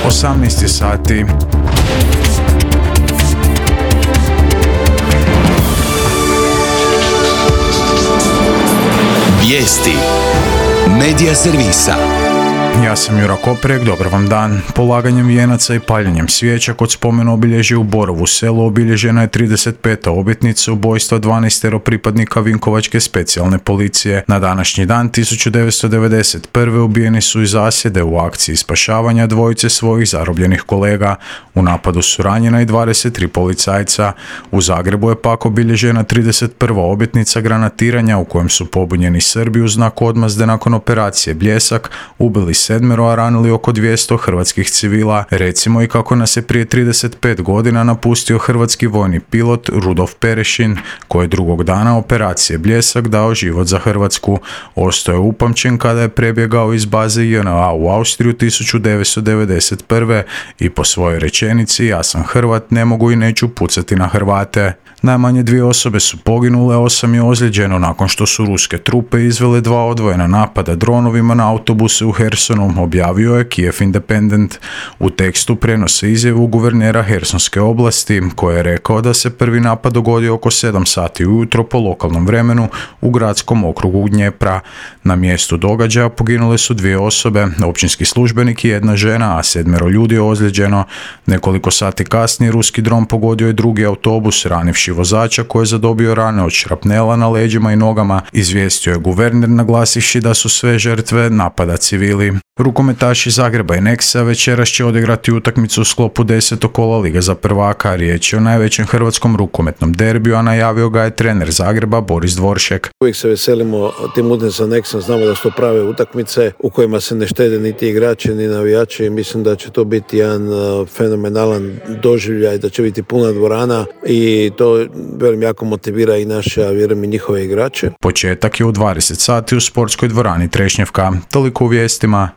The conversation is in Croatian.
18 sati. Vijesti Medija servisa. Ja sam Jura Koprek, dobar vam dan. Polaganjem vijenaca i paljenjem svijeća kod spomen obilježja u Borovu selu obilježena je 35. obljetnica ubojstva 12 pripadnika Vinkovačke specijalne policije. Na današnji dan 1991. ubijeni su iz zasjede u akciji spašavanja dvojice svojih zarobljenih kolega. U napadu su ranjena i 23 policajca. U Zagrebu je pak obilježena 31. obljetnica granatiranja u kojem su pobunjeni Srbi u znak odmazde nakon operacije Bljesak ubili 7, a ranili oko 200 hrvatskih civila. Recimo i kako nas je prije 35 godina napustio hrvatski vojni pilot Rudolf Perešin, koji je drugog dana operacije Bljesak dao život za Hrvatsku. Ostao je upamćen kada je prebjegao iz baze JNA u Austriju 1991. i po svojoj rečenici "Ja sam Hrvat, ne mogu i neću pucati na Hrvate". Najmanje 2 osobe su poginule, 8 je ozlijeđeno nakon što su ruske trupe izvele 2 odvojena napada dronovima na autobuse u Hersonu, objavio je Kiev Independent. U tekstu prenose izjavu guvernera Hersonske oblasti, koji je rekao da se prvi napad dogodio oko 7 sati ujutro po lokalnom vremenu u gradskom okrugu Dnjepra. Na mjestu događaja poginule su 2 osobe, općinski službenik i 1 žena, a 7 ljudi je ozlijeđeno. Nekoliko sati kasnije ruski dron pogodio je drugi autobus, ranivši vozača koji je zadobio rane od šrapnela na leđima i nogama, izvijestio je guverner naglasivši da su sve žrtve napada civili. Rukometaši Zagreba i Nexa večeras će odigrati utakmicu u sklopu 10. kola Lige za prvaka. Riječ je o najvećem hrvatskom rukometnom derbiju, a najavio ga je trener Zagreba Boris Dvoršek. Uvijek se veselimo tim utakmicama Nexa, znamo da su to prave utakmice u kojima se ne štede niti igrači ni navijači i mislim da će to biti jedan fenomenalan doživljaj, da će biti puna dvorana i to velim jako motivira i naše, a vjerujem i njihove igrače. Početak je u 20 sati u sportskoj dvorani Trešnjevka. Toliko u vijestima.